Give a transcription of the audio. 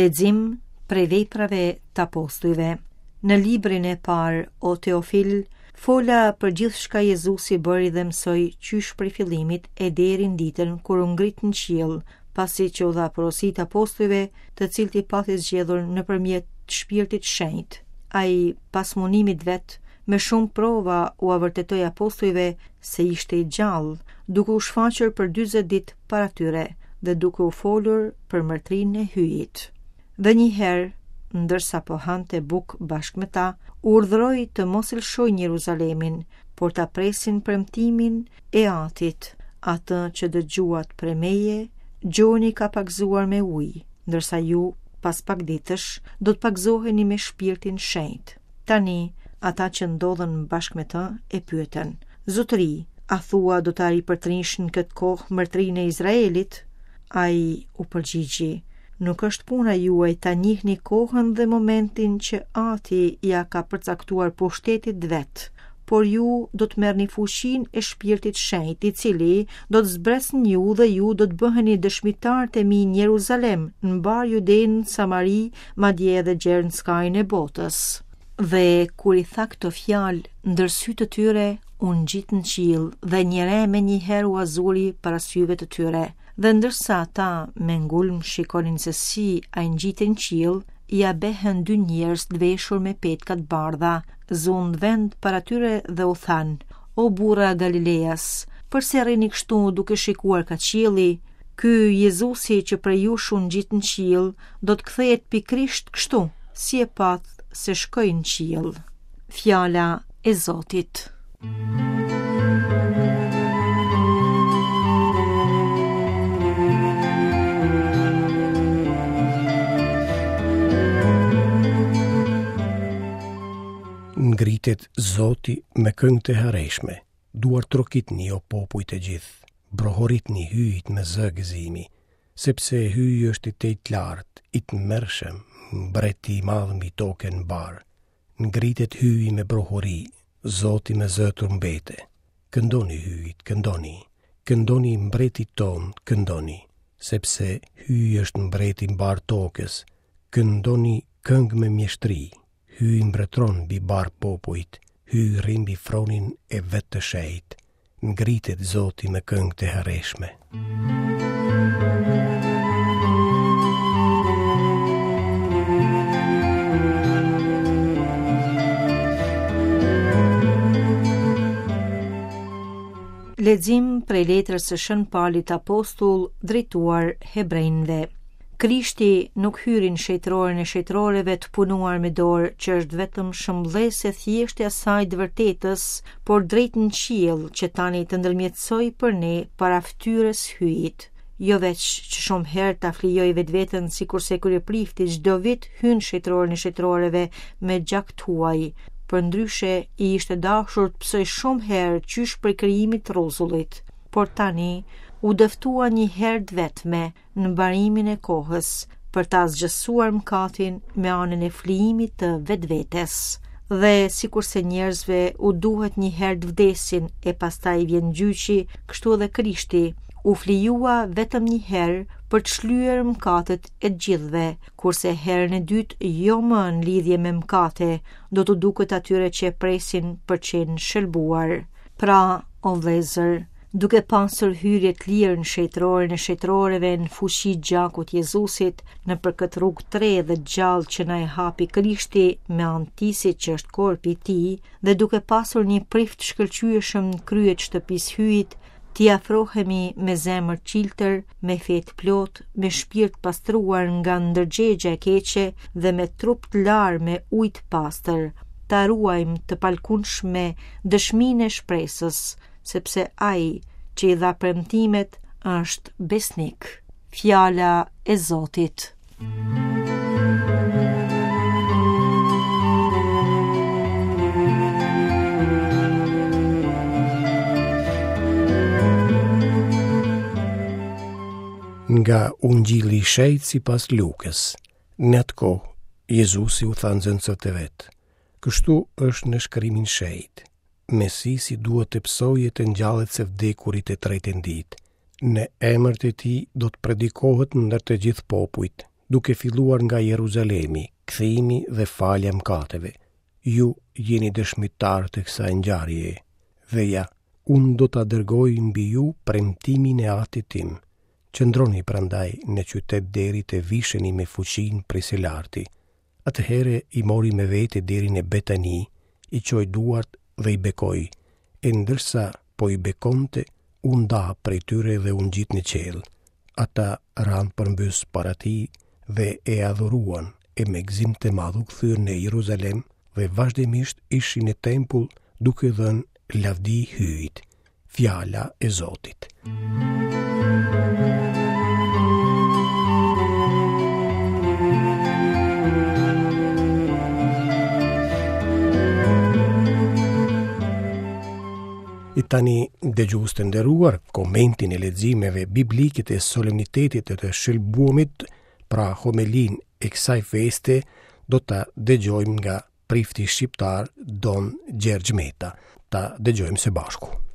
Lexim prej veprave të apostujve. Në librin e parë, o Teofil, fola për gjithçka Jezusi bëri dhe mësoi qysh prej fillimit e deri në ditën kur u ngrit në qiell, pasi që u dha porositë apostujve, të cilët i pati zgjedhur nëpërmjet Shpirtit Shenjt. Ai, pas mundimit vet, me shumë prova ua vërtetoi apostujve se ishte i gjallë, duke u shfaqur për 40 ditë para tyre dhe duke u folur për mbretërinë e Hyjit. Dhe një herë, ndërsa po hante bukë bashkë me ta, urdhëroi të mos e lëshojnë Jeruzalemin, por ta presin premtimin e Atit, atë që dëgjuat prej meje, Gjoni ka pagëzuar me ujë, ndërsa ju, pas pak ditësh, do të pagëzoheni me Shpirtin Shenjt. Tani, ata që ndodhen bashkë me të e pyetën: Zotëri, a thua do ta ripërtërish në këtë kohë mbretërinë e Izraelit? Ai u përgjigji: Nuk është puna juaj ta njihni kohën dhe momentin që Ati ia ka përcaktuar pushtetit vet, por ju do të merrni fuqinë e Shpirtit Shenjt, i cili do të zbresë në ju dhe ju do të bëheni dëshmitarët e mi në Jeruzalem, në mbarë Judenë, Samari, madje edhe gjer në skajin e botës. Dhe kur i tha këto fjalë, ndër sytë e tyre u ngjit në qiell dhe një re menjëherë ua zuri para syve të tyre. Dhe ndërsa ata me ngulm shikonin se si ai ngjitej në qiell, ia behën dy njerëz të veshur me petka të bardha, zunë vend para tyre dhe u thanë, O burra Galileas, përse rrini kështu duke shikuar kah qielli? Ky Jezusi që prej jush u ngjit në qiell, do të kthehet pikërisht kështu, si e patë se shkoi në qiell. Fjala e Zotit. Ngritet Zoti me këngë të hareshme, duartrokitni o popuj të gjithë, brohoritni Hyjit me zë gëzimi, sepse Hyji është i tejlartë, i tmerrshëm, mbreti i madh mbi tokën mbarë. Ngritet Hyji me brohori, Zoti me zë trumbete. Këndoni Hyjit, këndoni, këndoni mbretit tonë, këndoni, sepse Hyji është mbreti i mbarë tokës, këndoni këngë me mjeshtri, Hyji mbretëron mbi mbarë popujt, Hyji rri mbi fronin e vet të shenjtë. Ngritet Zoti me këngë të hareshme. Lexim prej letrës së Shën Palit Apostull drejtuar hebrejve. Krishti nuk hyri në shenjtëroren e shenjtëroreve të punuar me dorë, që është vetëm shëmbëllesë e thjeshtë e asaj të vërtetës, por drejt në qiell që tani të ndërmjetësojë për ne para fytyrës Hyjit. Jo veç që shumë herë ta flijojë vetveten sikurse kryeprifti çdo vit hyn në shenjtëroren e shenjtëroreve me gjak të huaj, përndryshe i ishte dashur të pësojë shumë herë qysh prej krijimit të rruzullit. Por tani u dëftua një herë të vetme, në mbarimin e kohës, për të asgjësuar mëkatin me anën e flijimit të vetvetes. Dhe sikurse njerëzve u duhet një herë të vdesin e pastaj vjen gjyqi, kështu edhe Krishti u flijua vetëm një herë për të shlyer mëkatet e të gjithëve, kurse herën e dytë jo më në lidhje me mëkate, do t'u duket atyre që e presin për të qenë shëlbuar. Pra, o vëllezër, duke pasur hyrje të lirë në shenjtëroren e shenjtëroreve në fuqi të gjakut të Jezusit, nëpër këtë rrugë të re dhe të gjallë që na e hapi Krishti me anë të tisit që është korpi i tij, dhe duke pasur një prift të shkëlqyeshëm në krye të shtëpisë Hyjit, t'i afrohemi me zemër të çiltër, me fe të plotë, me shpirt të pastruar nga ndërgjegja e keqe dhe me trup të larë me ujë të pastër. Ta ruajmë të palëkundshme dëshminë e shpresës, sepse ai që i dha premtimet është besnik. Fjala e Zotit. Nga Ungjilli i Shenjtë sipas Lukës. Në atë kohë, Jezusi u tha nxënësve të vet: Kështu është në shkrimin e shenjtë. Mesisi duhet të pësojë e të ngjallet së vdekuri të tretën ditë. Në emër të tij do të predikohet ndër të gjithë popujt, Duke filluar nga Jeruzalemi, kthimi dhe falja e mëkateve. Ju jeni dëshmitarë të kësaj ngjarjeje. Dhe ja, unë do ta dërgoj mbi ju premtimin e Atit tim. Qëndroni prandaj në qytet deri të visheni me fuqinë prej së larti. Atëherë i mori me vete deri në Betani, i çoi duart dhe i bekoi, e ndërsa po i bekonte, u nda prej tyre dhe u ngjit në qiell. Ata ranë përmbys para tij dhe e adhuruan, e me gëzim të madh u kthyen në Jeruzalem dhe vazhdimisht ishin në tempull duke dhënë lavdi Hyjit. Fjala e Zotit. E tani, dëgjues të nderuar, komentin e leximeve biblike të solemnitetit të të shëlbuamit, pra homelinë e kësaj feste, do ta dëgjojmë nga prifti shqiptar Don Gjergj Meta. Ta dëgjojmë së bashku.